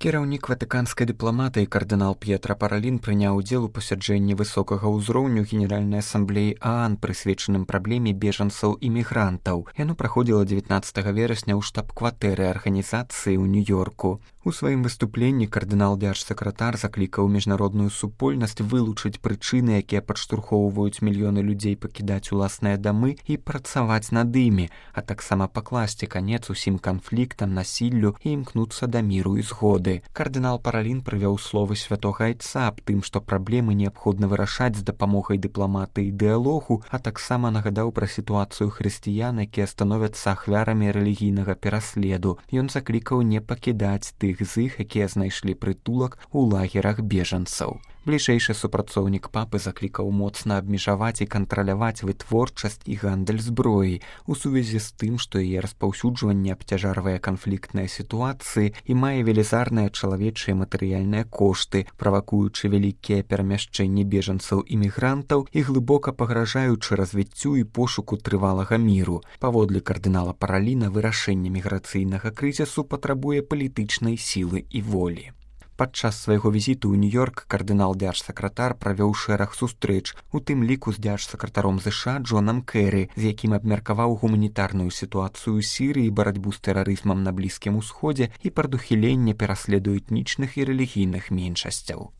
Кіраўнік ватыканскай дыпламатыі кардынал П'етра Паралін прыняў удзел у пасяджэнні высокага ўзроўню Генеральнай асамблеі ААН, прысвечаным праблеме бежанцаў і мігрантаў. Яно праходзіла 19 верасня ў штаб-кватэры арганізацыі ў Нью-Йорку. У сваім выступленні кардынал-дзярж-сакратар заклікаў міжнародную супольнасць вылучыць прычыны, якія падштурхоўваюць мільёны людзей пакідаць уласныя дамы і працаваць над імі, а таксама пакласці канец усім канфліктам, насіллю і імкнуцца да міру і згоды. Кардынал Паралін прывёў словы святога айца аб тым, што праблемы неабходна вырашаць з дапамогай дыпламатыі і дыялогу, а таксама нагадаў пра сітуацыю хрысціян, якія становяцца ахвярамі рэлігійнага пераследу. Ён заклікаў не пакідаць тых з іх, якія знайшлі прытулак у лагерах бежанцаў. Бліжэйшы супрацоўнік папы заклікаў моцна абмежаваць і кантраляваць вытворчасць і гандаль зброі у сувязі з тым, што яе распаўсюджванне абцяжарвае канфліктныя сітуацыі і мае велізарныя чалавечыя матэрыяльныя кошты, правакуючы вялікія перамяшчэнні бежанцаў і мігрантаў і глыбока пагражаючы развіццю і пошуку трывалага міру. Паводле кардынала Параліна, вырашэнне міграцыйнага крызісу патрабуе палітычнай сілы і волі. Падчас свайго візіту ў Нью-Йорк кардынал-дзярж-сакратар правёў шэраг сустрэч, у тым ліку з дзярж-сакратаром ЗША Джонам Кэры, з якім абмеркаваў гуманітарную сітуацыю ў Сірыі, барацьбу з тэрарызмам на Блізкім Усходзе і прадухіленне пераследу этнічных і рэлігійных меншасцяў.